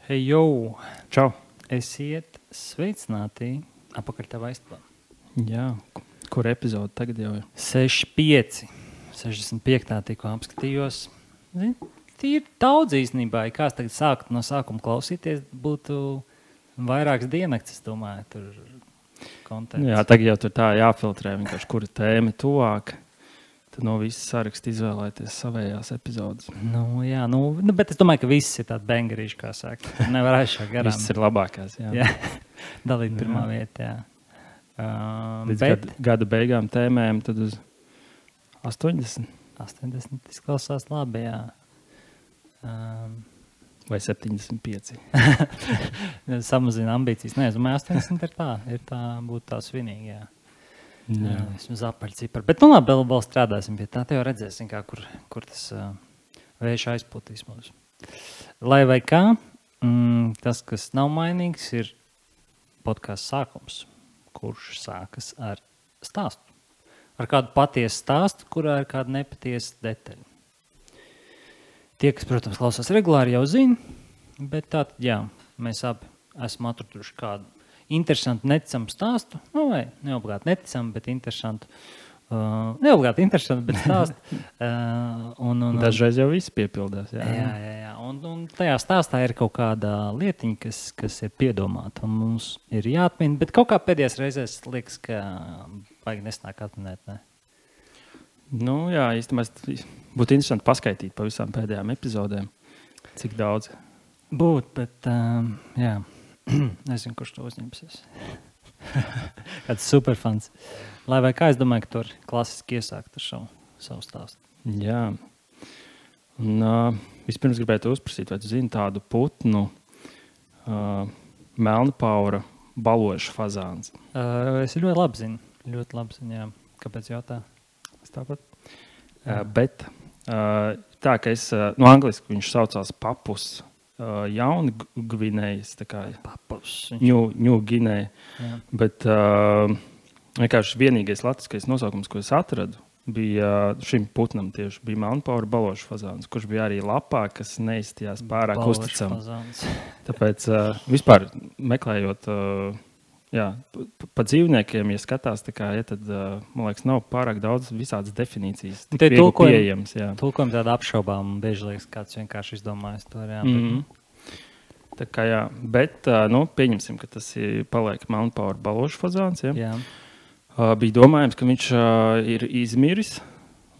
Hei, jau! Čau! Esiet sveicināti apakaļ tavā istabā. Jā, kur epizode tagad jau ir? 65. 65. tikko apskatījos. Tīri daudz īstenībā. Ja kāds tagad sāktu no sākuma klausīties, būtu vairākas diennakts, es domāju, tur konteksts. Jā, tagad jau tur tā jāfiltrē, vienkārši kura tēma tuvāk. Tad no visas saraksta izvēlēties savējās epizodes. Jā, bet es domāju, ka viss ir tādi bengarīši, kā saka. Nevar aizšā garām. Viss ir labākās, jā. Jā, dalīt pirmā vietā. Līdz gada beigām tēmēm tad uz 80. 80 izklausās labi, jā. Vai 75. Samazina ambīcijas. Nē, es domāju, 80 ir tā, būtu tā svinīgi, jā. Vismaz apaļcipari. Bet labi, vēl strādāsim pie tā. Te jau redzēsim, kur tas vējš aizpūtīs mūs. Lai vai kā, tas, kas nav mainīgs, ir podcasts sākums, kurš sākas ar stāstu. Ar kādu patiesu stāstu, kurā ir kāda nepatiesa detaļa. Tie, kas, protams, klausās regulāri, jau zina, bet tātad, jā, mēs abi esam atraduši kādu interesantu, neticamu stāstu, vai neobligāti neticamu, bet interesantu. Neobligāti interesantu, bet stāstu. Dažreiz jau viss piepildās. Jā. Un tajā stāstā ir kaut kāda lietiņa, kas ir piedomāta, un mums ir jāatmin, bet kaut kā pēdējās reizēs liekas, ka vajag nesnāk atminēt, ne? Jā, īstenībā būtu interesanti paskaitīt pa visām pēdējām epizodēm, cik daudz. Bet jā. Nezinu, kurš to uzņemsies. Kāds superfans. Lai vai kā, es domāju, ka tur klasiski iesākt ar savu stāstu. Jā. Un vispirms gribētu uzprasīt, vai tu zini tādu putnu melnpaura balošu fazāns? Es ļoti labi zinu, jā. Kāpēc jautā? Es tāpat. Bet tā, ka es, angliski viņš saucās papus, Jauna Gvinējas, tā kā Ņū Ginēja. Bet vienkārši vienīgais latviskais nosaukums, ko es atradu, bija šim putnam tieši bija melnpaura balošu fazāns, kurš bija arī lapā, kas neizstījās pārāk uzticam. Tāpēc vispār meklējot pa dzīvniekiem, ja skatās, tā kā, tad, man liekas, nav pārāk daudz visādas definīcijas. Tik viegli pieejams. Tulkojam tādu apšaubām, bieži liekas, kāds vienkārši izdomājas to. Tā kā jā, bet pieņemsim, ka tas paliek melnpaura balošu fazāns. Jā. Bija domājams, ka viņš ir izmiris,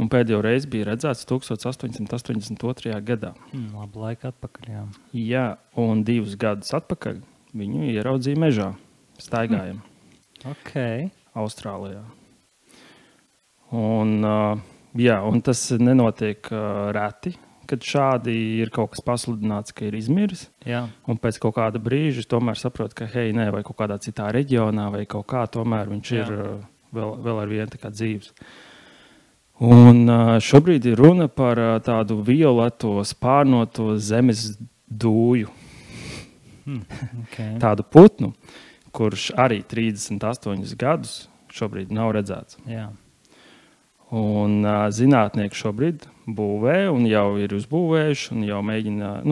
un pēdējo reizi bija redzēts 1882. gadā. Labu laiku atpakaļ, jā. Jā, un 2 gadus atpakaļ viņu ieraudzīja mežā. Staigājam. Austrālijā. Un tas nenotiek reti, kad šādi ir kaut kas pasludināts, ka ir izmiris. Jā. Un pēc kaut kāda brīža tomēr saprot, ka vai kaut kādā citā reģionā vai kaut kā tomēr viņš ir vēl ar vienu tā kā dzīves. Un šobrīd ir runa par tādu violeto spārnoto zemes dūju. Tādu putnu, kurš arī 38 gadus šobrīd nav redzēts. Jā. Un zinātnieki šobrīd būvē un jau ir uzbūvējuši un jau mēģina,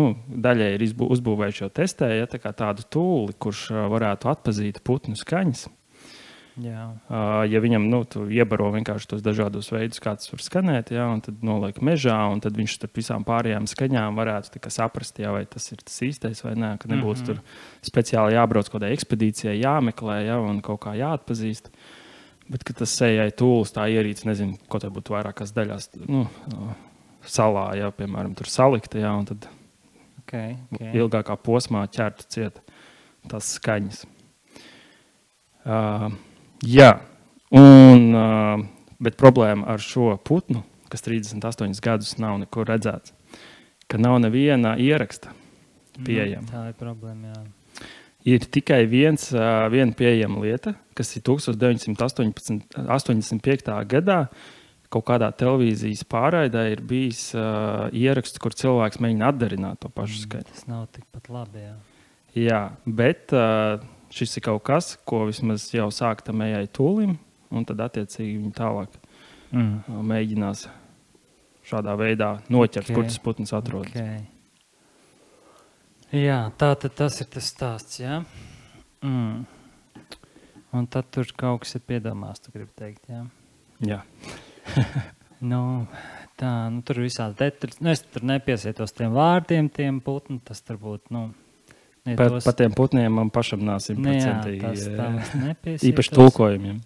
daļai ir uzbūvējuši, jau testēja tādu tūli, kurš varētu atpazīt putnu skaņas. Jā. Ja viņam, tu iebaro vienkārši tos dažādos veidus, kā tas var skanēt, un tad noliek mežā, un tad viņš starp visām pārējām skaņām varētu saprast, vai tas ir tas īstais vai nē, ka nebūtu tur speciāli jābrauc kaut kādai ekspedīcijai, jāmeklē, un kaut kā jāatpazīst. Bet, ka tas sejai tūlis, tā ierīce, nezinu, ko tā būtu vairākās daļās, salā, piemēram, tur salikta, un tad ilgākā posmā ķertu ciet tās skaņas. Bet problēma ar šo putnu, kas 38 gadus nav nekur redzēts, ka nav neviena ieraksta pieejama. Tā ir problēma, jā. Ir tikai viena pieejama lieta, kas ir 1985. gadā kaut kādā televīzijas pārraidē ir bijis ieraksts, kur cilvēks mēģina atdarināt to pašu skaņu. Tas nav tikpat labi, jā. Jā, bet šis ir kaut kas, ko vismaz jau sāktam ejai tūlim, un tad attiecīgi viņi tālāk mēģinās šādā veidā noķert, kur tas putns atrodas. Jā, tātad tas ir tas stāsts, jā. Un tad tur kaut kas ir piedomās, tu gribi teikt, jā. Jā. Tur visādi detaļas. Es tur nepiesietos tiem vārdiem, tiem putni, tas tur būtu, Par tiem putniem man pašam nav 100% īpaši tulkojumiem.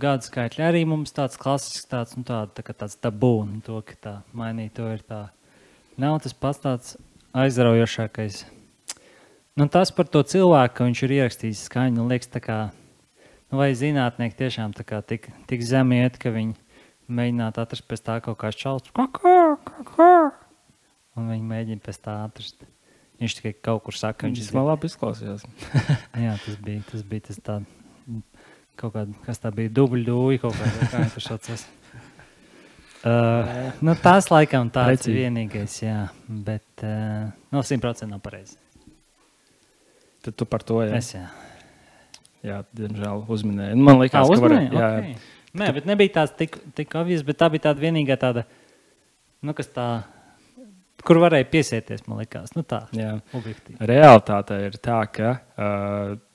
Gadu skaitļi arī mums tāds klasisks, tāds tabū, to, ka tā mainīt, to ir tā. Nav tas pats tāds aizraujošākais. Tas par to cilvēku, ka viņš ir ierakstījis skaņu, liekas tā kā, vai zinātnieki tiešām tā kā tik zemi iet, ka viņi mēģinātu atrast pēc tā kaut kāds čals. Un viņi mēģina pēc tā atrast. Viņš tikai kaut kur saka, viņš man labi izklausījās. Jā, tas bija tas tā, kaut kāda, kas tā bija, dubļdūji kaut kāda, kā viņi tur saucas. Tas laikam tāds vienīgais, jā, bet 100% nav pareizi. Tad tu par to, jā? Es, jā. Jā, diemžēl uzminēju. Man likās, ka varēja. Okay. Nē, bet nebija tāds tik obvious, bet tā bija tāda vienīgā tāda, kas tā, kur varēja piesieties, man likās. Tā, objektīvi. Realitāte ir tā, ka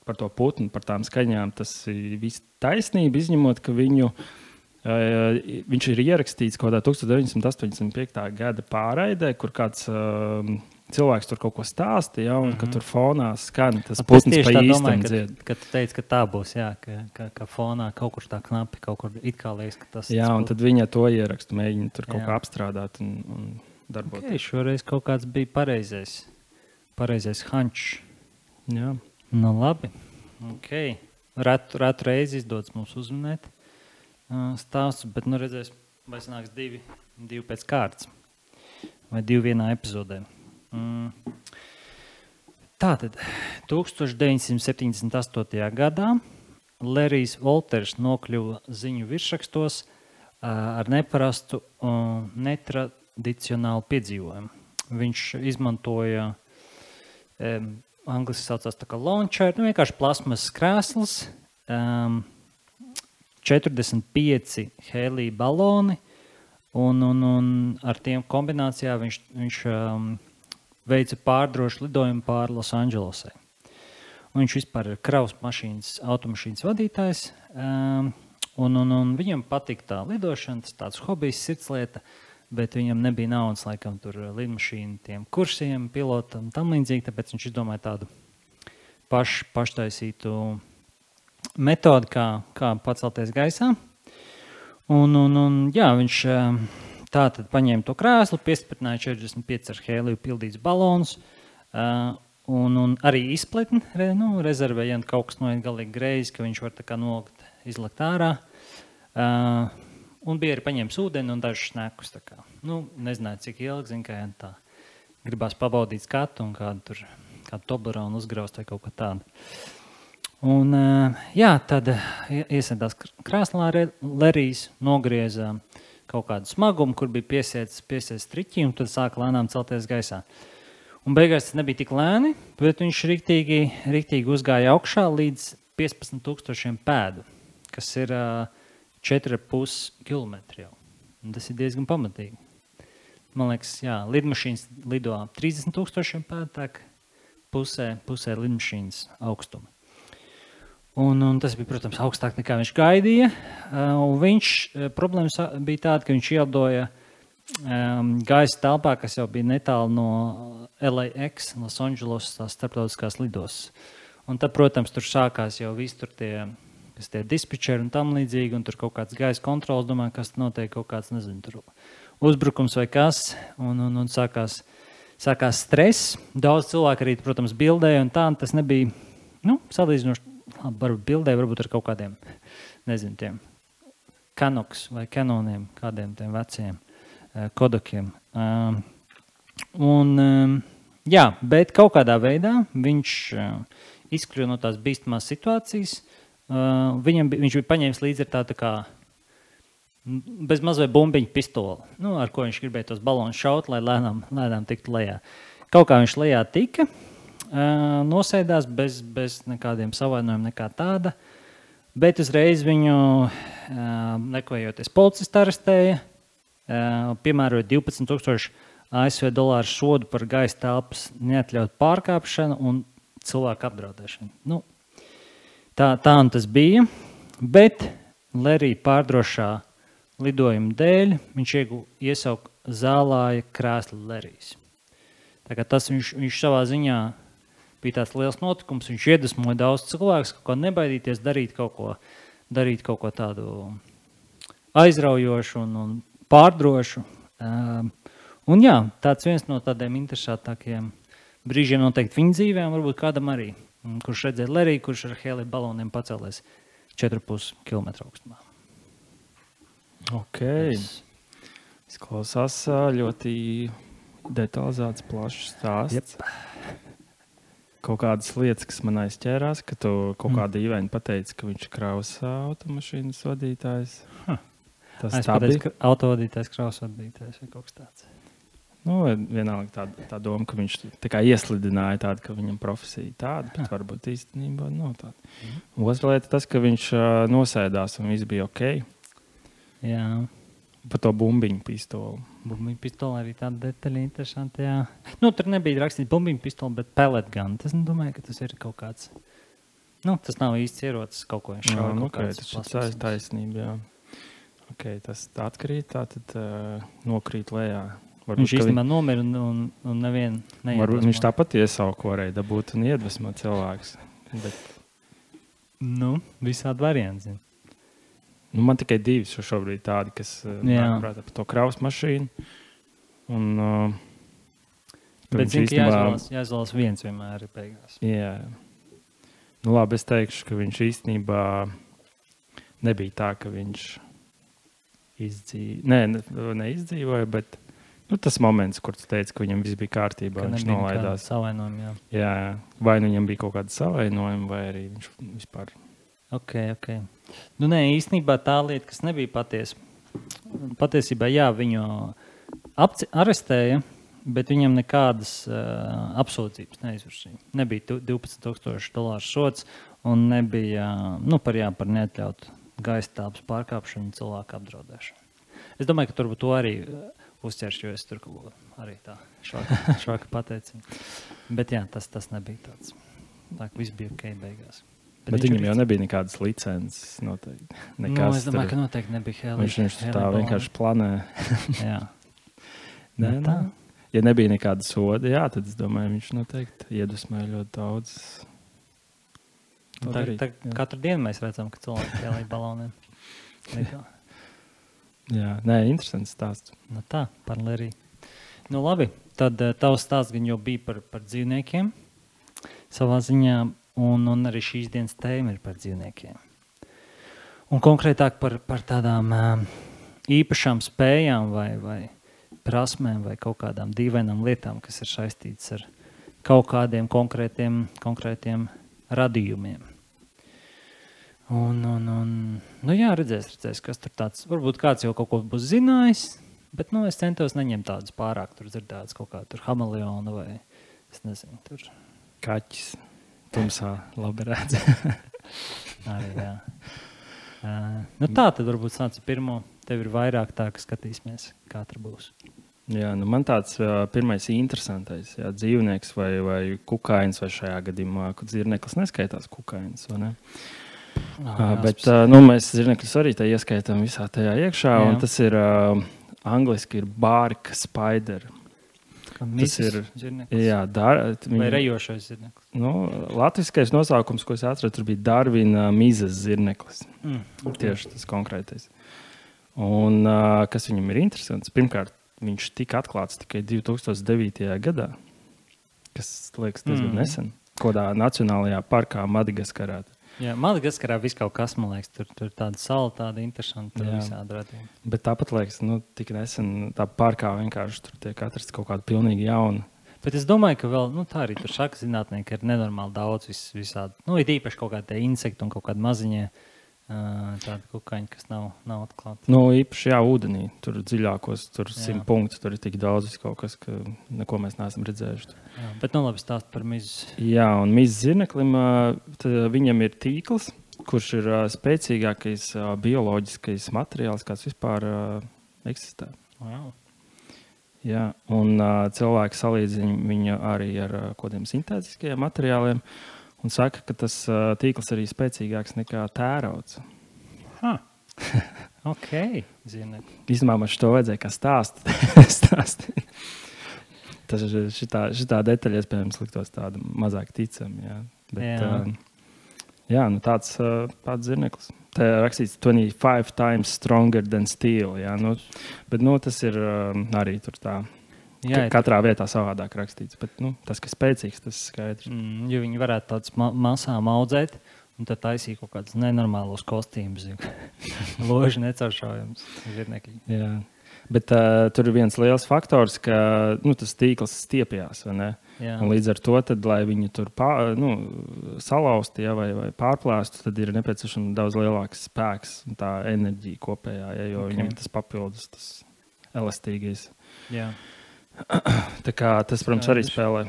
par to putnu, par tām skaņām, tas ir viss taisnība, izņemot, ka viņš ir ierakstīts kaut kādā 1985. gada pārraidē, kur kāds cilvēks tur kaut ko stāstīja, un ka tur fonā skan tas putns pa īstam dzied. Kad tu teici, ka tā būs, jā, ka fonā kaut kur tā knapi, kaut kur it kā liekas, ka tas... Jā, un tad viņa to ierakstu, mēģina tur kaut kā apstrādāt un darboties. Okay, šoreiz kaut kāds bija pareizais hančs. Jā. Labi. Okay. Rētu reizi izdodas mums uzminēt stāstu, bet redzēs, vai sanāks divi pēc kārtas. Vai divi vienā epizodē. Tātad 1978. gadā Lerijs Volters nokļuva ziņu virsrakstos ar neparastu netradicionālu piedzīvojumu. Viņš izmantoja angliski saucās tā kā launcher, vienkārši plasmas krēsls, 45 hēlija baloni un ar tiem kombinācijā viņš veica pārdrošu lidojumu pāri Losandželosai. Viņš vispār ir kravas automašīnas vadītājs, un viņam patīk tā lidošana, tas tāds hobijs, sirdslieta, bet viņam nebija naudas laikam tur lidmašīnu tiem kursiem, pilotam, tam līdzīgi, tāpēc viņš izdomāja tādu paštaisītu metodi, kā pacelties gaisā. Viņš tātad paņēma to krēslu, piestiprināja 45 ar hēliju pildīts balons, un arī izpletni, rezervēja, ja kaut kas noiet galīgi greizi, ka viņš var tā kā nolikt, izlikt ārā. Un bija arī paņēmis ūdeni un dažus snekus. Nezināju, cik ilgi, kā tā gribās pabaudīt skatu un kādu Toblerone uzgraust vai kaut kā tādu. Un, tad iesēdās krēslā Lerijs, nogrieza kaut kādu smagumu, kur bija piesiets triķi, un tad sāka lēnām celties gaisā. Un beigās tas nebija tik lēni, bet viņš riktīgi uzgāja augšā līdz 15,000 pēdu, kas ir 4,5 kilometri jau. Un tas ir diezgan pamatīgi. Man liekas, lidmašīnas lido 30,000 pēdu, tā pusē lidmašīnas augstuma. Un tas bija, protams, augstāk nekā viņš gaidīja. Problēma bija tāda, ka viņš ielidoja gaisa telpā, kas jau bija netālu no LAX, Los Angeles, tās starptautiskās lidostas. Un tad, protams, tur sākās jau visi tur tie dispečeri un tam līdzīgi, un tur kaut kāds gaisa kontrols, domāju, kas notiek kaut kāds, nezinu, tur uzbrukums vai kas, un sākās stress. Daudz cilvēku arī, protams, bildēja, un tā, un tas nebija, salīdzinoši, varbūt bildē, varbūt ar kaut kādiem, nezinu, tiem Canoks vai Canoniem, kādiem tiem veciem Kodakiem. Bet kaut kādā veidā viņš izkļuva no tās bīstamās situācijas. Viņš bija paņēmis līdzi ar tādu kā bez mazvai bumbiņu pistoli, ar ko viņš gribēja tos balonus šaut, lai lēnām tiktu lejā. Kaut kā viņš lejā tika, nosēdās bez nekādiem savainojumiem, nekā tāda, bet uzreiz viņu nekavējoties policisti arestēja, piemēroja 12,000 ASV dolāru sodu par gaisa telpas neatļautu pārkāpšanu un cilvēku apdraudēšanu. Nu, tā un tas bija, bet Lerija pārdrošā lidojuma dēļ viņš iesauka zālāja krēslu Lerijas. Tā kā tas viņš savā ziņā bija tāds liels notikums, viņš iedvesmoja daudz cilvēkus, kaut ko nebaidīties, darīt kaut ko tādu aizraujošu un pārdrošu. Un jā, tāds viens no tādiem interesantākiem brīžiem noteikti viņa dzīvēm, varbūt kādam arī, kurš redzēja Leriju, kurš ar helija baloniem pacēlēs 4,5 km augstumā. Ok. Izklausās ļoti detalizēts, plašs stāsts. Yep. Kaut kādas lietas, kas man aizķērās, ka tu kaut kādā īvēni pateici, ka viņš ir kravas automašīnas vadītājs. Tas tā bija? Autovadītājs, kravas vadītājs vai kaut kas tāds. Nu, vienalga tā doma, ka viņš tā kā ieslidināja tādu, ka viņam profesija tāda, bet varbūt īstenībā nav tāda. Otra lieta tas, ka viņš nosēdās un viss bija ok. Jā. Par to bumbiņu pistoli. Bumbiņu pistoli arī tāda detaļa interesanta, jā. Nu, tur nebija rakstīts bumbiņu pistoli, bet pellet gun. Tas, domāju, ka tas ir kaut kāds... Nu, tas nav īsts ierocis, kaut ko viņš šauja. Nu, okay, tas ir taisnība, jā. Ok, tas atkrīt, tā tad nokrīt lejā. Varbūt, viņš īstenībā nomira un nevienu neiedvesmo. Varbūt viņš tāpat iesauku varēja dabūt un iedvesmo cilvēks. Bet... Nu, visādi varianti. Nu, man tikai divi šobrīd tādi, kas prātā par to kravas mašīnu. Un, bet zinu, ka jāizvēlas viens vienmēr ir beigās. Jā. Nu, labi, es teikšu, ka viņš īstenībā nebija tā, ka viņš neizdzīvoja, bet tas moments, kur tu teici, ka viņam viss bija kārtībā, viņš nolaidās. Savainojumi, jā. Vai nu viņam bija kaut kāda savainojuma, vai arī viņš vispār... Ok. Nu, nē, īstenībā tā lieta, kas nebija patiesa. Patiesībā, jā, viņu arestēja, bet viņam nekādas apsūdzības neizvirsīja. Nebija $12,000 sods un nebija par neatļautu gaisa telpas pārkāpšanu un cilvēku apdraudēšanu. Es domāju, ka turbūt to arī uzķeršu, jo es tur arī tā švaka pateicību. Bet jā, tas nebija tāds. Tā ka viss bija ok beigās. Bet viņam jau nebija nekādas licences noteikti. Es domāju, ka noteikti nebija helija. Viņš tā vienkārši planē. Jā. Nē. Ja nebija nekāda soda, jā, tad es domāju, viņš noteikti iedvesmoja ļoti daudz. Katru dienu mēs redzam, ka cilvēki helija baloniem. Jā, interesants stāsts. Nu tā, par Leriju. Nu labi, tad tavs stāsts gan jau bija par dzīvniekiem savā ziņā. Un arī šīs dienas tēma ir par dzīvniekiem. Un konkrētāk par tādām īpašām spējām vai prasmēm vai kaut kādām dīvainām lietām, kas ir saistītas ar kaut kādiem konkrētiem radījumiem. Nu jā, redzēs, kas tur tāds. Varbūt kāds jau kaut ko būs zinājis, bet es centos neņemt tādus pārāk tur dzirdētas kaut kā tur hameleona vai es nezinu, tur kaķis. Tumsā labi redz. Arī, jā. Tā tad varbūt sāc pirmo. Tev ir vairāk tā, ka skatīsimies, kā tur būs. Jā, man tāds pirmais interesantais dzīvnieks vai kukainis, vai šajā gadījumā, kad zirneklis neskaitās kukainis, vai ne? Bet mēs zirnekļus arī tā ieskaitām visā tajā iekšā, un tas ir angliski ir bark spider. Tas ir zirneklis. Jā, vai rejošais zirneklis. Latviskais nosaukums, ko es atradu, tur bija Darvina mizas zirneklis. Tieši tas konkrētais. Un kas viņam ir interesants, pirmkārt, viņš tika atklāts tikai 2009. gadā, kas liekas diezgan nesen, kādā nacionālajā parkā Madagaskarā. Jā, Madagaskarā viss kaut kas, man liekas, tur tāda sala, tāda interesanta visādi radījumi. Bet tāpat liekas, tik nesen tā parkā vienkārši tur tiek atrasts kaut kāda pilnīgi jauna. Bet es domāju, ka vēl, tā arī tur šaka zinātnieki ir nenormāli daudz visādi. Ir īpaši kaut kādi insekti un kaut kādi maziņie tādi kukaiņi, kas nav atklāti. Īpaši ūdenī, tur dziļākos, tur 100 punktu, tur ir tik daudz kaut kas, ka neko mēs neesam redzējuši. Jā, bet labi stāst par mizu. Jā, un mizas zirneklim, viņam ir tīkls, kurš ir spēcīgākais bioloģiskais materiāls, kāds vispār eksistē. Wow. Jā, un cilvēki salīdzina viņu arī ar kodiem sintētiskajiem materiāliem un saka, ka tas tīkls arī spēcīgāks nekā tērauds. Ok, zinu. Īstenībā man šo vajadzēja kā stāstīt. Tas šitā detaļa, iespējams, liktos tāda mazāk ticama. Jā. Bet, nu tāds zirneklis. Te rakstīts 25 times stronger than steel. Jā, nu, bet tas ir arī tur tā. Jā, katrā vietā savādāk rakstīts. Bet tas, kas spēcīgs, tas skaidrs. Jo viņi varētu tāds masām audzēt un tad taisīt kaut kādus nenormālos kostīmus. Loži necauršaujams zirnekļi. Jā. Bet tur ir viens liels faktors, ka tas tīkls stiepjās. Līdz ar to, tad, lai viņu tur salauztu vai pārplēstu, tad ir nepieciešams daudz lielāks spēks un tā enerģija kopējā, jo viņam tas papildus, tas elastīgais. Jā. Tā kā tas, protams, arī spēlē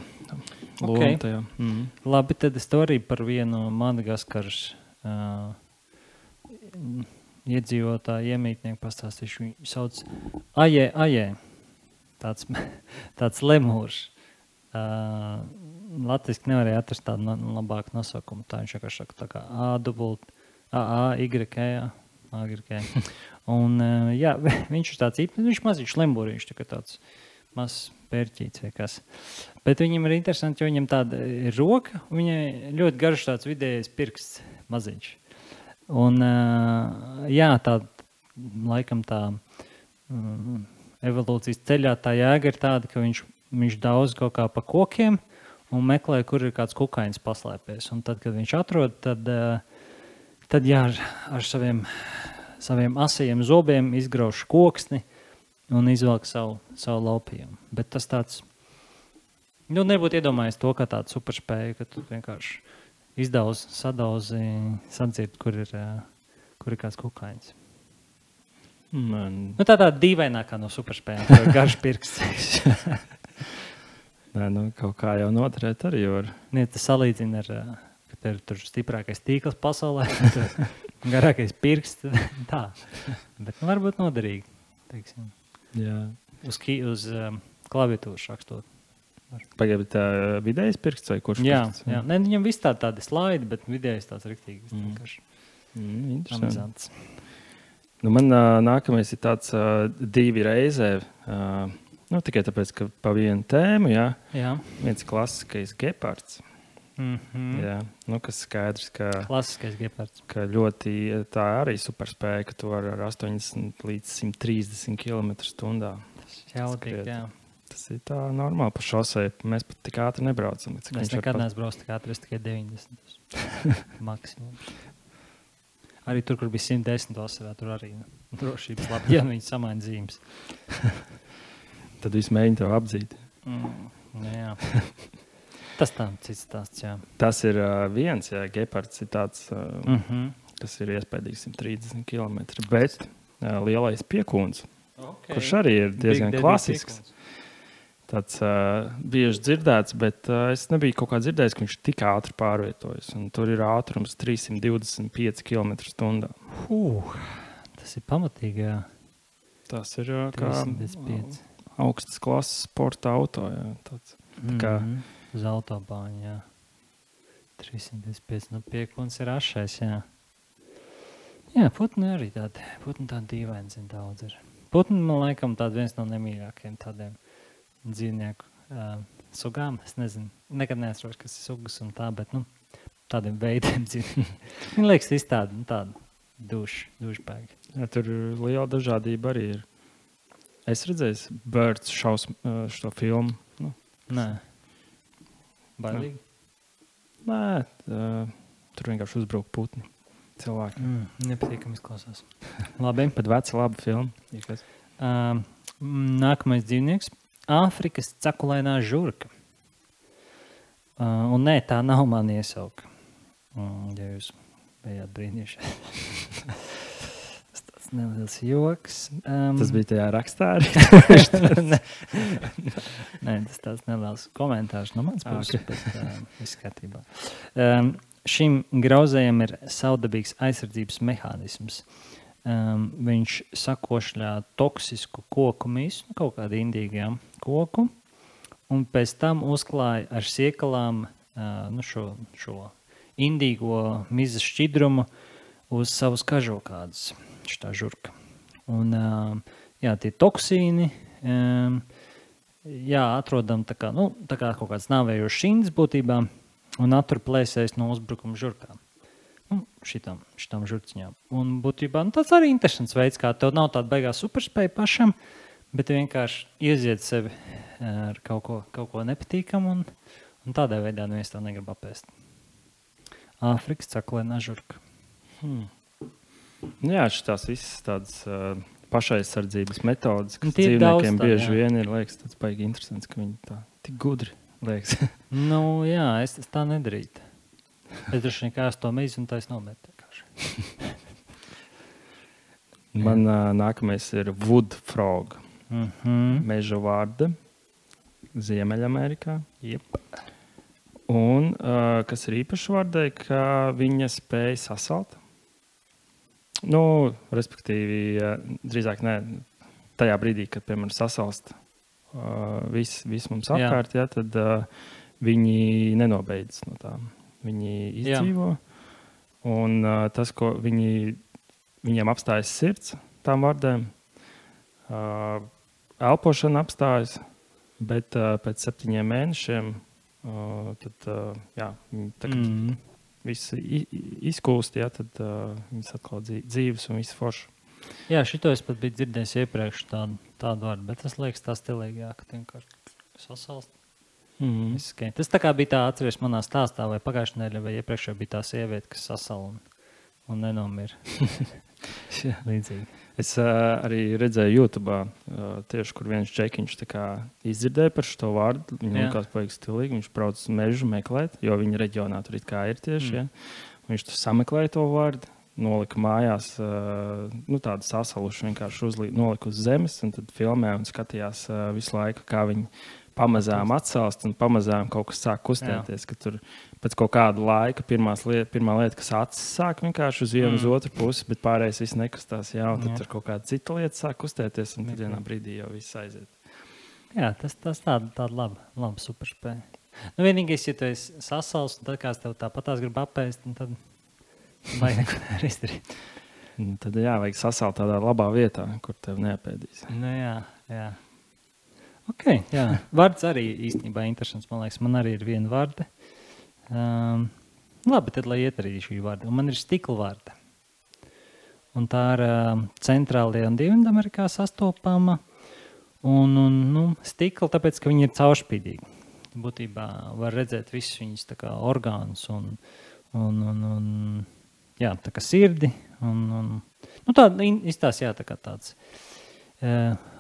lomu tajā. Labi, tad es to arī par vienu Madagaskaras iedzīvotāju iemītnieku pastāstīšu. Viņu sauc Ajē. Tāds lemūrs. Latviski nevarēja atrast tādu labāku nosaukumu. Tā viņš vienkārši saka tā kā A-Y-K. Un viņš ir tāds īpnis, viņš maziņš lemūriņš, tāds mazs pērķīts vai kas. Bet viņam ir interesanti, jo viņam tāda ir roka, viņai ļoti garš tāds vidējais pirksts maziņš. Un tā laikam tā evolūcijas ceļā tā jēga ir tāda, ka viņš daudz kaut kā pa kokiem un meklē, kur ir kāds kukainis paslēpies. Un tad, kad viņš atrod, tad ar saviem asajiem zobiem izgrauž koksni un izvelk savu laupījumu. Bet tas tāds, nebūtu iedomājies to, ka tāda superspēja, ka tu vienkārši sadauzi, sadzird, kur ir kāds kukainis. Tā dīvainākā no superspējām, kur ir garš pirksts. Nē, kaut kā jau noturēt arī var. Tas salīdzina ar, ka tev ir tur stiprākais tīkls pasaulē, garākais pirksts, tā. Bet varbūt noderīgi, teiksim. Jā. Uz klaviatūras rakstot. Pagaidā tā vidējais pirksts vai kurš pirksts? Jā. Ne, viņam viss tādi slaidi, bet vidējais tāds riktīgi. Interesants. Man nākamais ir tāds 2 reizē, tikai tāpēc, ka pa vienu tēmu, jā. Viens klasiskais gepards. Jā, kas skaidrs, ka klasiskais gepards. Ka ļoti tā arī superspēja, ka tu var ar 80 līdz 130 km/h. Tas jautīgi, jā. Tas ir tā normāli pa šosei. Mēs pat tik ātri nebraucam. Mēs nekad neesbrauc tik ātri, es tikai 90. maksimums. Arī tur, kur bija 110 vasarā, tur arī drošības labi, ja viņi samaina zīmes. Tad viss mēģina tev apdzīt. Jā. Tas tā, cits stāsts, jā. Tas ir viens, jā, gepards ir tāds, kas ir iespējams 130 km, bet lielais piekūns, kurš arī ir diezgan klasisks. Tāds bieži dzirdēts, bet es nebiju kaut kā dzirdējis, ka viņš tik ātri pārvietojas. Un tur ir ātrums 325 km/h. Tas ir pamatīgi, jā. Tas ir kā 325. Augstas klases sporta auto, jā. Tāds, tā kā... Uz autobāņu, jā. 325, piekūns ir ašais, jā. Jā, putni arī tādi. Putni tādi dīvaini, zin, daudz ir. Putni, man laikam, tādi viens no nemīļākajiem tādiem dzīvnieku sugām. Es nezinu, nekad neatceros, kas ir sugas un tā, bet, tādiem veidiem dzīvnieku. Viņi liekas iztādi, tādi dušpēki. Jā, tur liela dažādība arī ir. Es redzēju Birds šo filmu. Nē. Bailīgi? Nē, tur vienkārši uzbruk putni cilvēki. Nepatīkami izklausās. Labi. Pat veca laba filma. Nākamais dzīvnieks. Āfrikas cekulainā žurka. Un nē, tā nav man iesauka. Ja jūs bijāt brīnījuši. Tas tāds neliels joks. Tas bija tajā rakstā arī? Nē, tas tāds neliels komentārs no mans puses, bet viss kārtībā. Šim grauzējam ir savdabīgs aizsardzības mehānisms. viņš sakošļā toksisku koku misu, kaut kādu indīgu koku, un pēc tam uzklāja ar siekalām šo indīgo mizas šķidrumu uz savus kažokādus, šitā žurka. Un tie toksīni, atrodam tā kā kaut kāds nāvējošs šinds būtībā, un atturplēsēs no uzbrukuma žurkām. Šitām žurciņām. Un būtībā tāds arī interesants veids, kā tev nav tāda baigā superspēja pašam, bet vienkārši ieziet sevi ar kaut ko nepatīkamu, un tādā veidā neviens to negrib apēst. Āfrikas caklēnā žurka. Jā, šitās visas tādas pašaizsardzības metodas, kas dzīvniekiem bieži vien ir, liekas, tāds baigi interesants, ka viņi tā tik gudri liekas. Es tā nedarītu. Es droši vien kā es to mīzu un tā es nometu. Man nākamais ir wood frog. Meža vārda. Ziemeļamerikā. Yep. Un kas ir īpaši vārdai, ka viņa spēja sasalt. Respektīvi, drīzāk ne tajā brīdī, kad, piemēram, sasalst viss mums apkārt, tad viņi nenobeidz no tām. Viņi izdzīvo, un tas, ko viņiem apstājas sirds, tām vārdēm, elpošana apstājas, bet pēc 7 mēnešiem viss izkūst, tad viņas atkal dzīves un viss forši. Jā, šito es pat biju dzirdējis iepriekš tādu vārdu, bet tas liekas tā stilīgāk, ka vienkārši sasalst. Tas tā kā bija tā, atceries manā stāstā, vai pagājušajā nedēļā, vai iepriekšējā bija tā sieviete, kas sasala un nenomira. Līdzīgi. Es arī redzēju YouTube, tieši kur viens čekiņš izdzirdēja par šo vārdu. Viņam likās paigi stilīgi, viņš brauc uz mežu meklēt, jo viņa reģionā tur it kā ir tieši. Ja? Viņš tur sameklēja to vārdu, nolika mājās, tādu sasalušu vienkārši nolika uz zemes, un tad filmē un skatījās visu laiku, kā viņi pamazām atsalst un pamazām kaut kas sāk kustēties, ka tur pēc kaut kāda laika pirmā lieta, kas acis sāk vienkārši uz vienu uz otru pusi, bet pārējais viss nekustās, un tad tur kaut kāda cita lieta sāk kustēties, un tad vienā brīdī jau viss aiziet. Jā, tas tāda laba superspēja. Vienīgais, ja tu esi sasals, un tad kāds tev tāpatās grib apēst, tad vajag neko izdarīt. Tad vajag sasalt tādā labā vietā, kur tev neapēdīs. Jā. Ok, jā. Vārds arī īstenībā interesants, man liekas. Man arī ir viena vārda. Labi, tad lai iet arī šī vārda. Un man ir stikla vārda. Un tā ir centrālajā un Dienvidamerikā sastopama. Un stikla, tāpēc, ka viņi ir caurspīdīgi. Būtībā var redzēt visus viņus tā kā orgānus un tā kā sirdi. Tāda izstās, tā kā tāds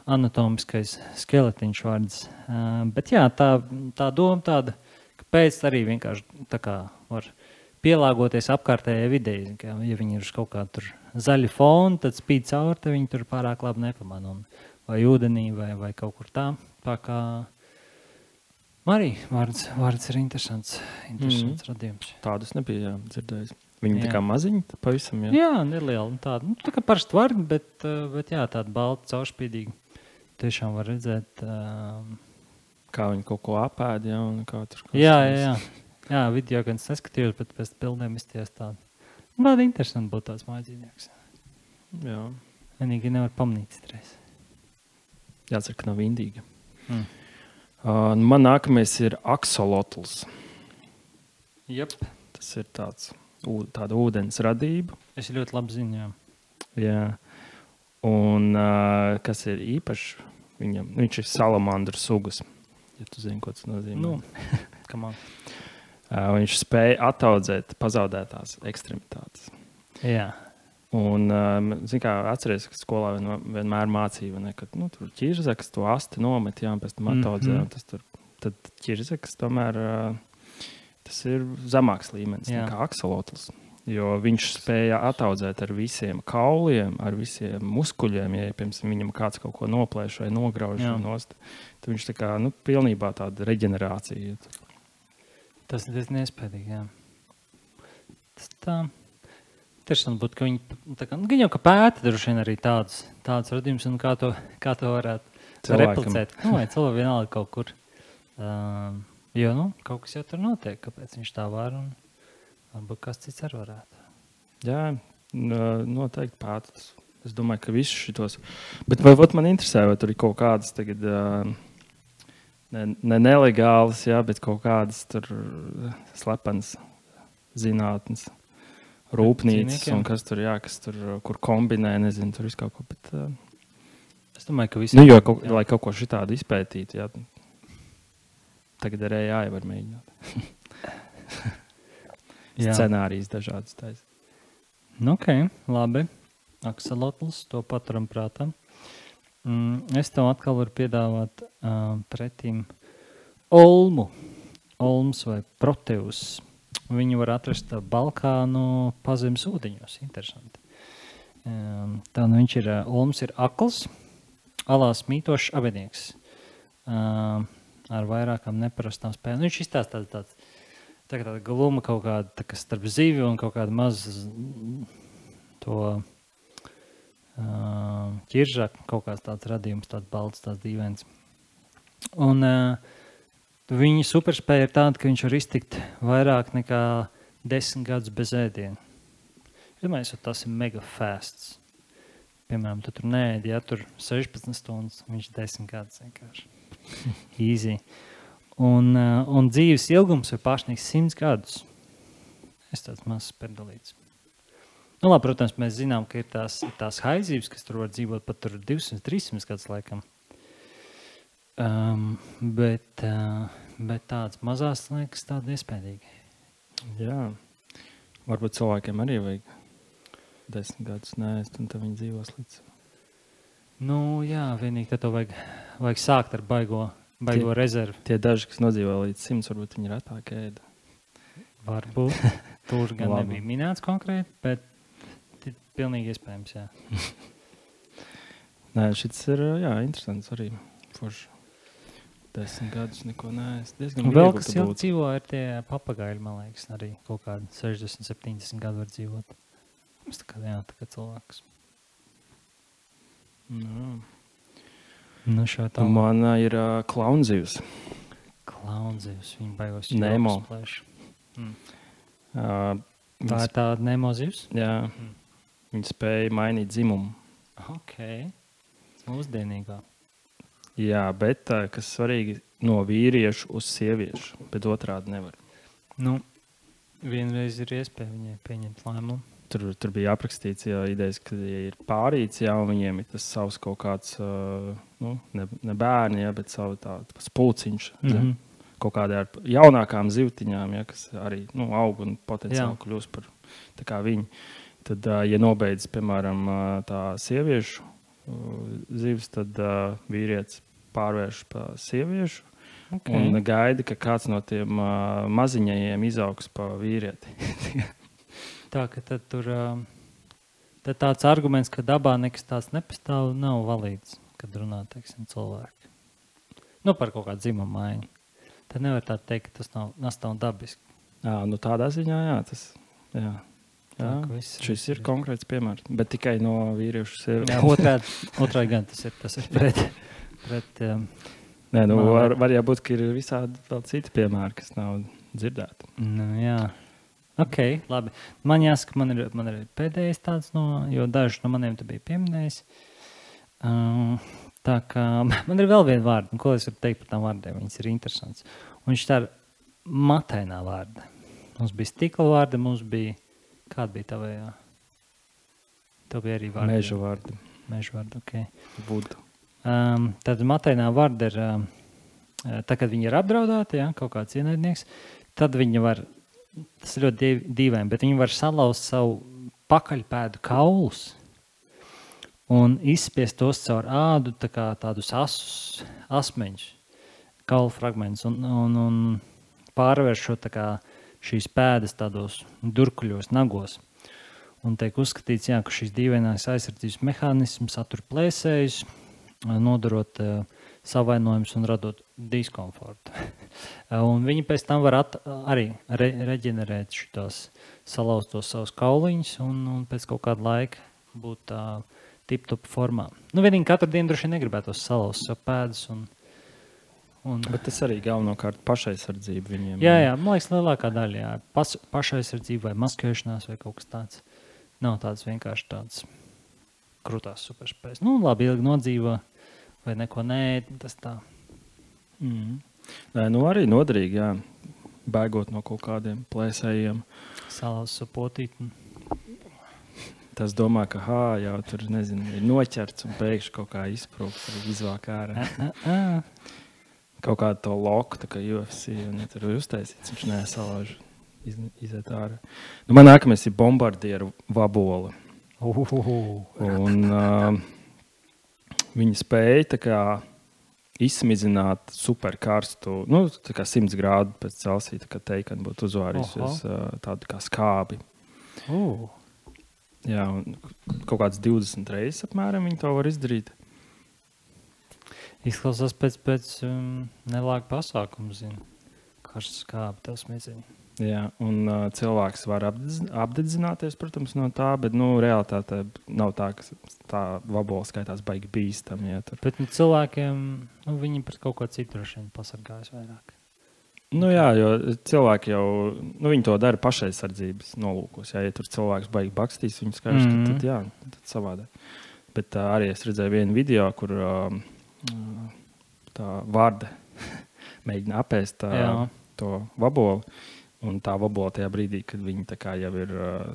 anatomiskais skeletiņš vārds. Bet tā doma tāda, ka pēc arī vienkārši tā kā var pielāgoties apkārtējai videi. Ja viņi ir uz kaut kādu tur zaļu fonu, tad spīd cauri, tad viņi tur pārāk labi nepamana. Vai ūdenī, vai kaut kur tā. Tā kā arī vārds ir interesants radījums. Tādus nebija dzirdējis. Viņi tā kā maziņi, pavisam, Jā, nelieli. Tāda, tā kā parasti vārdi, bet tāda balta, caurspīdīga. Tiešām var redzēt, kā viņi kaut ko apēd, un kā tur. Jā, video gan neskatījos, bet pēc bildēm izties tādu. Tāda interesanti būtu tāds mājasdzīvnieks. Jā. Vienīgi nevar pamanīt stresi. Jācer, ka nav indīga. Man nākamais ir aksolotls. Jep. Tas ir tāda ūdens radība. Es ļoti labi zinu, Jā. Un kas ir īpaši viņam? Viņš ir salamandru sugas. Ja tu zini, ko tas nozīmē. Viņš spēja ataudzēt pazaudētās ekstremitātes. Jā. Un, atceries, ka skolā vienmēr mācīja, ka tur ķirzeks to asti nomet, un pēc tam ataudzē. Tad ķirzeks tomēr tas ir zemāks līmenis nekā aksolotls. Jo viņš spēja ataudzēt ar visiem kauliem, ar visiem muskuļiem. Ja piemēram viņam kāds kaut ko noplēš vai nograuž nost, tad viņš tā kā pilnībā tāda reģenerācija. Tas ir diezgan iespējīgi, Tas tā. interesanti būtu, ka viņi jau pēta droši vien arī tādus radījumus un kā to varētu replicēt. Vai cilvēki vienalga kaut kur. Jo, kaut kas jau tur notiek, kāpēc viņš tā var un varbūt kas cits arī varētu. Jā, noteikti pētas. Es domāju, ka visus šitos. Bet vai man interesē, vai tur ir kaut kādas tagad ne nelegālas, jā, bet kaut kādas tur slepenas zinātnes. Rūpnīcas un kas tur, kur kombinē, nezinu, tur visu kaut ko, bet... Es domāju, ka visi... Jo, lai kaut ko šitādu izpētītu, jā, tagad ar AI var mēģināt. Scenārijas dažādas taisa. Ok, labi. Akselotls, to paturam prātā. Es tev atkal varu piedāvāt pretīm Olms vai Proteus. Viņu var atrast Balkānu pazemes ūdeņos. Interesanti. Tā viņš ir, Olms ir akls, alās mītošs abenieks. Ar vairākām neparastām spēlēm. Viņš izstāsta tāda gluma kaut kāda starp zivi un kaut kāda maz to ķiržak, kaut kāds tāds radījums, tāds balts, tāds dīvains. Un viņa superspēja ir tāda, ka viņš var iztikt vairāk nekā 10 gadus bez ēdiena. Es domāju, tas ir mega fasts. Piemēram, tu tur neēdi, ja tur 16 stundas, viņš 10 gadus vienkārši. Easy. Un dzīves ilgums ir pārsniegs 100 gadus. Es tāds mazs perdalīts. Labi, protams, mēs zinām, ka ir tās haizības, kas tur var dzīvot pat tur 200-300 gadus laikam. Bet tāds mazās liekas tāda iespējīgi. Jā. Varbūt cilvēkiem arī vajag 10 gadus neēst, un tad viņi dzīvos līdz. Jā, vienīgi tad to vajag sākt ar baigo rezervi. Tie daži, kas nodzīvo līdz 100, varbūt viņi retāk ēda. Varbūt. Tur gan nebija minēts konkrēti, bet pilnīgi iespējams, jā. Nē, šis ir, interesants arī. Forši 10 gadus neko neēst. Vēl kas jau dzīvo ir tie papagaļi, man liekas, arī kaut kādi 60-70 gadu var dzīvot. Mums tā kā cilvēks. Man ir klaunzivs. Klaunzivs, viņi baigos Nemo. Tā ir tāda Nemo zivs? Jā. Viņi spēja mainīt dzimumu. Ok. Mūsdienīgā. Jā, bet kas svarīgi, no vīriešu uz sieviešu, bet otrādi nevar. Vienreiz ir iespēja viņai pieņemt lēmumu. Tur bija aprakstīts, idejas, ka ir pārīts, un viņiem ir tas savs kaut kāds, ne bērni, bet savu tāds pulciņš. Kaut kādā ar jaunākām zivtiņām, kas arī aug un potenciāli kļūst par tā kā viņi. Tad, ja nobeidz, piemēram, tā sieviešu zivs, tad vīrietis pārvērš pa sieviešu un gaida, ka kāds no tiem maziņajiem izaugs pa vīrieti. Tā, ka tad tur tad tāds arguments, ka dabā nekas tāds nepastāv, nav valīds, kad runā, teiksim, cilvēki. Par kaut kādu dzimumu maiņu. Tad nevar tā teikt, ka tas nav dabiski. Tādā ziņā, tas, jā. Šis ir konkrēts piemērs, bet tikai no vīriešu sieviešu. Otrādi gan tas ir pret Nē, var jābūt, ka ir visādi vēl citi piemēri, kas nav dzirdēti. Jā. Ok, labi. Man jāsaka, man ir pēdējais tāds, jo daži no maniem te bija pieminējis. Tā kā man ir vēl viena vārda, ko es varu teikt par tām vārdiem, viņas ir interesants. Un viņš tā ir matainā vārda. Mums bija stikla vārda, mums bija, kāda bija tavējā? Tev bija arī vārda. Meža vārda, ok. Vudu. Tad matainā vārda ir, tā, kad viņi ir apdraudēti, kaut kāds ienaidnieks, tad viņi var, tas ir ļoti dīvaini, bet viņi var salauzt savu pakaļpēdu kaulus un izspiest tos caur ādu, tā kā tādus asmeņus, kaulu fragmentus un pārvērš šo tā kā šīs pēdas tādos durkuļos, nagos. Un tiek uzskatīts, ka šīs dīvainās aizsardzības mehānisms satur plēsējus, nodarot savainojumus un radot diskomfortu. Un viņi pēc tam var arī reģenerēt šitos salauztos savus kauliņus un pēc kaut kāda laika būt tip-top formā. Nu, vienīgi katru dienu droši negribētos salauzt savu pēdas Bet tas arī galvenokārt pašaizsardzība viņiem. Jā, man liekas, lielākā daļa, jā. Pašaizsardzība vai maskēšanās vai kaut kas tāds. Nav tāds vienkārši tāds krūtās superspējas. Nu, labi, ilgi nodzīvo vai neko tas tā. Nē, nu arī noderīgi, jā. Bēgot no kaut kādiem plēsējiem. Salauzt savu potīti. Tas domā, ka jau tur, nezinu, ir noķerts un pēkšņi kaut kā izprūkt, izvāk ārā. Kaut kādu to loku, tā kā UFC, un ja tur uztaisīts, viņš nesalauž, iziet ārā. Nu, man nākamais ir bombardieru vabola. Un viņi spēja tā kā izsmidzināt superkarstu, nu, tā kā 100 grādu pēc Celsija, tā kā teikani būtu uzvārījusies tādu kā skābi. Jā, un kaut kāds 20 reizes apmēram viņi to var izdarīt. Izklausās pēc nelāga pasākuma, zinu. Karsts skābi, tas mīzini. Jā, un cilvēks var apdedzināties, protams, no tā, bet, realitātē nav tā, ka tā vabola skaitās baigi bīstam, ja tur. Bet cilvēkiem, viņi pret kaut ko citu droši vien pasargājas vairāk. Jā, jo cilvēki jau, viņi to dara pašaizsardzības nolūkos. Ja tur cilvēks baigi bakstīs, viņi skaidrs, tad savādāk. Bet arī es redzēju vienu video, kur tā varde mēģina apēst to vabolu. Un tā vabola tajā brīdī, kad viņi tā kā jau ir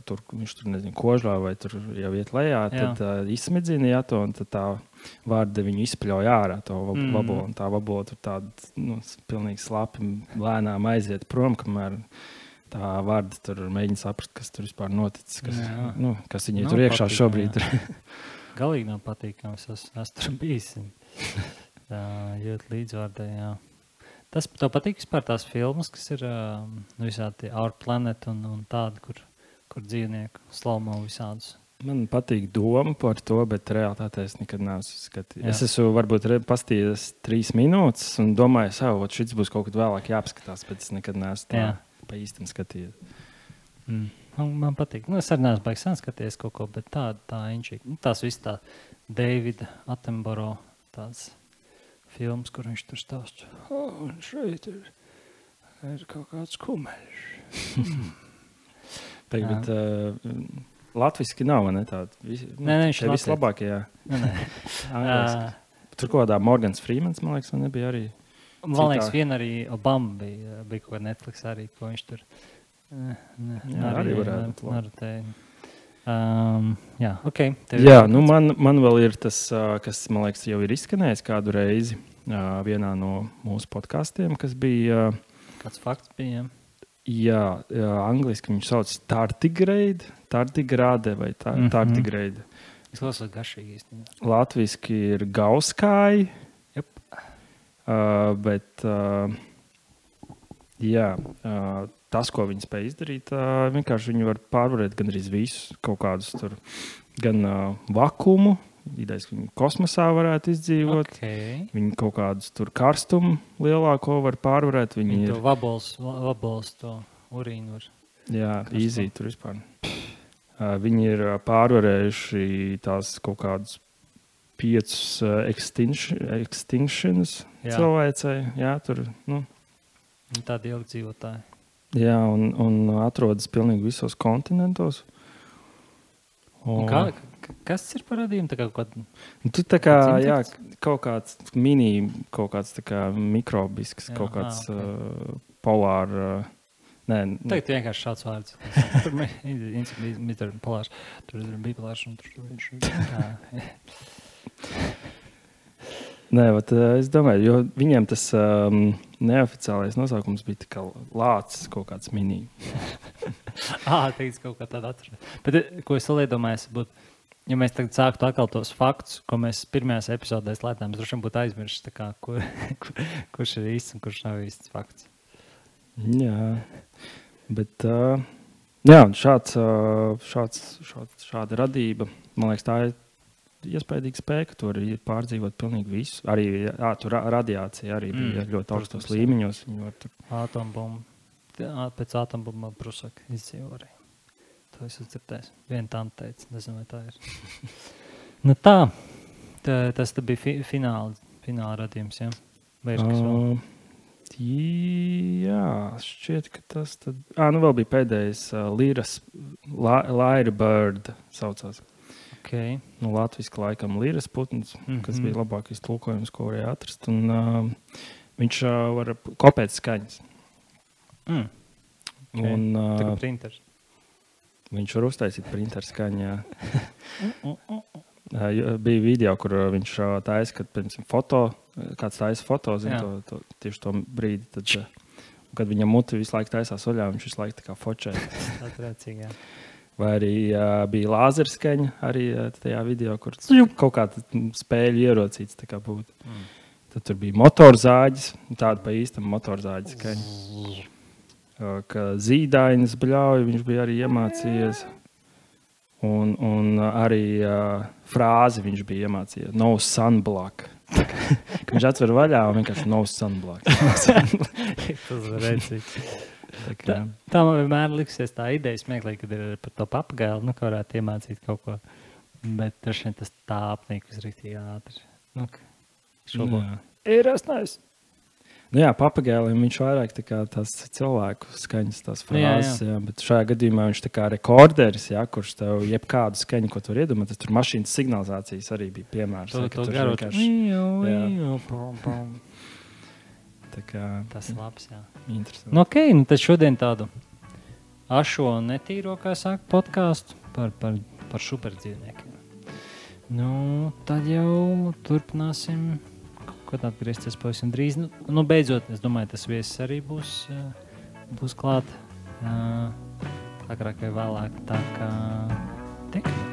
tur, viņš tur, nezinu, kožlā vai tur jau iet lejā, tad izsmidzina to, un tad tā varde viņu izpļauj ārā to vabolu. Un tā vabola tur tāda, pilnīgi slapi lēnām aiziet prom, kamēr tā varde tur mēģina saprast, kas tur vispār noticis, kas viņai tur iekšā šobrīd. Galīgi nav patīkams, es tur bijis. Jūt līdzvārdē, jā. Tas tev patīk vispār tās filmas, kas ir visādi Our Planet un tādi, kur dzīvnieku slaumo visādus? Man patīk doma par to, bet realitātē es nekad neesmu skatījis. Es esmu varbūt pastījies 3 minūtes un domāju, šis būs kaut kad vēlāk jāapskatās, bet es nekad neesmu tā pa īstam skatījies. Man patīk. Es arī neesmu baigi sen skatījies kaut ko, bet tā inčīgi. Tās viss tā Davida Attenborough tāds filmas, kur viņš tur stāst. Un šeit ir kaut kāds kumeļš. Bet latviski nav, ne tāda? Nē, viņš ir vislabākajā. Nē. Tur kaut kādā Morgans Freemans, man liekas, man nebija arī. Man liekas, vien arī Obama bija kaut kā Netflix arī, ko viņš tur. Arī varētu būt. Jā, ok. Man vēl ir tas, kas, man liekas, jau ir izskanējis kādu reizi vienā no mūsu podkastiem, kas bija... Kāds fakts bija? Jā, angliski viņš sauc tardigrāde vai tardigrāde. Es klausos garšīgi īstenībā. Latviski ir gauskāji. Jep. Bet, tas, ko viņi spēj izdarīt, vienkārši viņi var pārvarēt gan arī visus kaut kādus tur, gan vakumu, idejas, ka viņi kosmosā varētu izdzīvot, viņi kaut kādus tur karstumu lielāko var pārvarēt. Viņi to vabols to urīnu var. Jā, easy tur vispār. Viņi ir pārvarējuši tās kaut kādus 5 extinctions cilvēcei. Jā, tur, Tādi ilgi dzīvotāji. Jā, un atrodas pilnīgi visos kontinentos. Kas ir par radījumu? Tu kaut kāds kaut kāds tā kā mikrobisks, kaut kāds polāra... Tagad vienkārši šāds vārds. Tur ir polārs, tur ir bipolārs un tur viņš ir... Nē, es domāju, jo viņiem tas neoficiālais nosaukums bija tā kā lācis kaut kāds mini. Teiks kaut kā tāda atrast. Bet, ko es vēl iedomājos, būtu, ja mēs tagad sāktu atkal tos faktus, ko mēs pirmajās epizodēs lētām, mēs droši vien būtu aizmirsti, kurš ir īsts un kurš nav īsts fakts. Jā, bet šāda radība, man liekas, tā ir iespaidīga spēja, ka tur ir pārdzīvot pilnīgi visu. Arī tur radiācija arī bija ļoti augstos līmeņos. Atombumba. Pēc atombumba Prusaka izdzīvo arī. To es dzirdēju. Viena tante teica, nezinu, vai tā ir. Nu tā, tas bija fināla radījums, jā? Vai ir kas vēl? Jā, šķiet, ka tas tad... vēl bija pēdējais Lyrebird saucās. Okay. Latviski laikam Līras putns, kas bija labākais tulkojums, ko varēja atrast. Un viņš var kopēt skaņas. Okay. Un, tā kā printers. Viņš var uztaisīt printeru skaņā. Bija video, kur viņš taisa, kad kāds taisa foto, tieši to brīdi. Tad, kad viņam muti visu laiku taisās oļā, viņš visu laiku tā kā fočē. Atrēcīgi, jā. Vai arī bija lāzerskaņa arī tajā video, kur kaut kāda spēļu ierocīts tā kā būtu. Tad tur bija motorzāģis, tāda pa īstam motorzāģis skaņa. Ka zīdainis bļauj, viņš bija arī iemācījies. Un arī frāzi viņš bija iemācījies. No sunblock. Viņš atver vaļā un vienkārši no sunblock. Tas var redzīt. Tā man vienmēr liksies tā ideja smieklīgi, kad ir par to papagailu, ka varētu iemācīt kaut ko. Bet droši vien tas tā apnīkus riktīgi ātri. Ir asnājis. Papagailim viņš vairāk tā kā tās cilvēku skaņas, tās frāzes, jā, bet šajā gadījumā viņš tā kā rekorderis, kurš tev jebkādu skaņu, ko tu var iedomāties, tur mašīnas signalizācijas arī bija piemērs. To garot. Tas ir labs, jā. Interesanti. Tad šodien tādu ašo netīro, kā saka, podcastu par superdzīvniekiem. Tad jau turpināsim kaut atgriezties pavisam drīz. Beidzot, es domāju, tas viesis arī būs klāt agrāk vai vēlāk. Tā kā tikai.